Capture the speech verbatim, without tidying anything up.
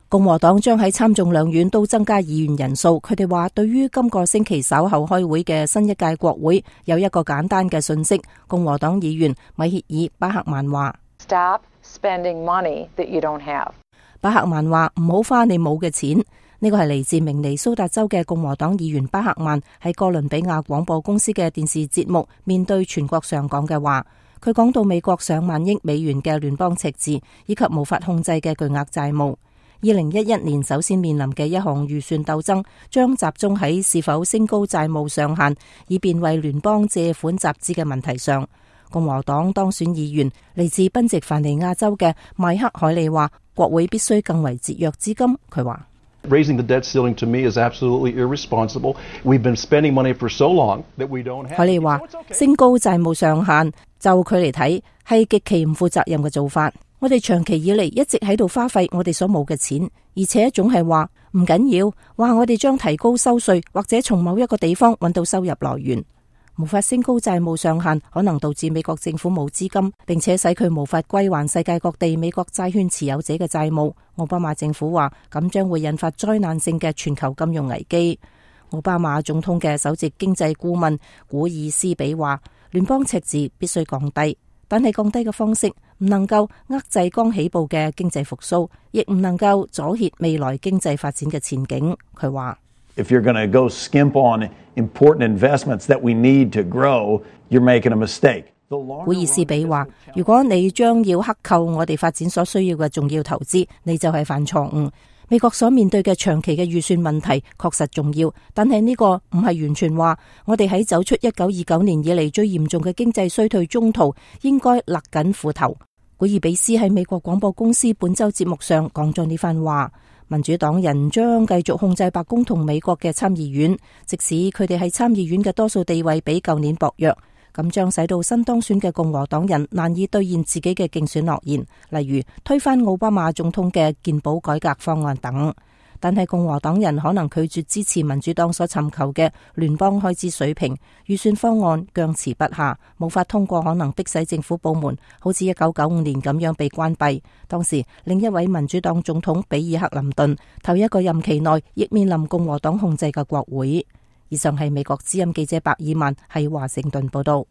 共和黨將喺參眾兩院都增加議員人數。佢哋話對於今個星期稍後開會嘅新一屆國會有一個簡單嘅訊息。共和黨議員米歇爾·巴克曼話：Stop spending money that you don't have。巴克曼話唔好花你冇嘅錢。呢個係嚟自明尼蘇達州嘅共和黨議員巴克曼喺哥倫比亞廣播公司嘅電視節目面對全國上講嘅話。佢講到美國上萬億美元嘅聯邦赤字以及無法控制嘅巨額債務。二零一一年首先面臨嘅一項預算鬥爭，將集中喺是否升高債務上限，以便為聯邦借款集資嘅問題上。共和黨當選議員嚟自賓夕凡尼亞州嘅邁克海利話，國會必須更為節約資金。佢話：Raising the debt ceiling to me is absolutely irresponsible. We've been spending money for so long that we don't have. 海利話：升高債務上限，就佢嚟睇係極其唔負責任嘅做法。我哋長期以嚟一直喺度花費我哋所冇嘅錢，而且總係話唔緊要，話我哋將提高收稅或者從某一個地方揾到收入來源。無法升高債務上限，可能導致美國政府冇資金，並且使佢無法歸還世界各地美國債券持有者嘅債務。奧巴馬政府話咁將會引發災難性嘅全球金融危機。奧巴馬總統嘅首席經濟顧問古爾斯比話，聯邦赤字必須降低，但係降低嘅方式唔能夠遏制剛起步嘅經濟復甦，亦唔能夠阻遏未來經濟發展嘅前景。佢話：If you're going to go skimp on important investments that we need to grow, you're making a mistake. 古爾斯比話：如果你將要克扣我哋發展所需要嘅重要投資，你就係犯錯誤。美國所面對嘅長期嘅預算問題確實重要，但係呢個唔係完全話我哋喺走出一九二九年以嚟最嚴重嘅經濟衰退中途應該勒緊褲頭。古爾比斯喺美國廣播公司本周節目上講咗呢番話。民主黨人將繼續控制白宮同美國嘅參議院，即使佢哋喺參議院嘅多數地位比舊年薄弱，咁將使到新當選嘅共和黨人難以兌現自己嘅競選諾言，例如推翻奧巴馬總統嘅健保改革方案等。但係共和黨人可能拒絕支持民主黨所尋求嘅聯邦開支水平預算方案，僵持不下，無法通過，可能迫使政府部門好似一九九五年咁樣被關閉。當時另一位民主黨總統比爾克林頓頭一個任期內亦面臨共和黨控制嘅國會。以上係美國之音記者白爾曼喺華盛頓報道。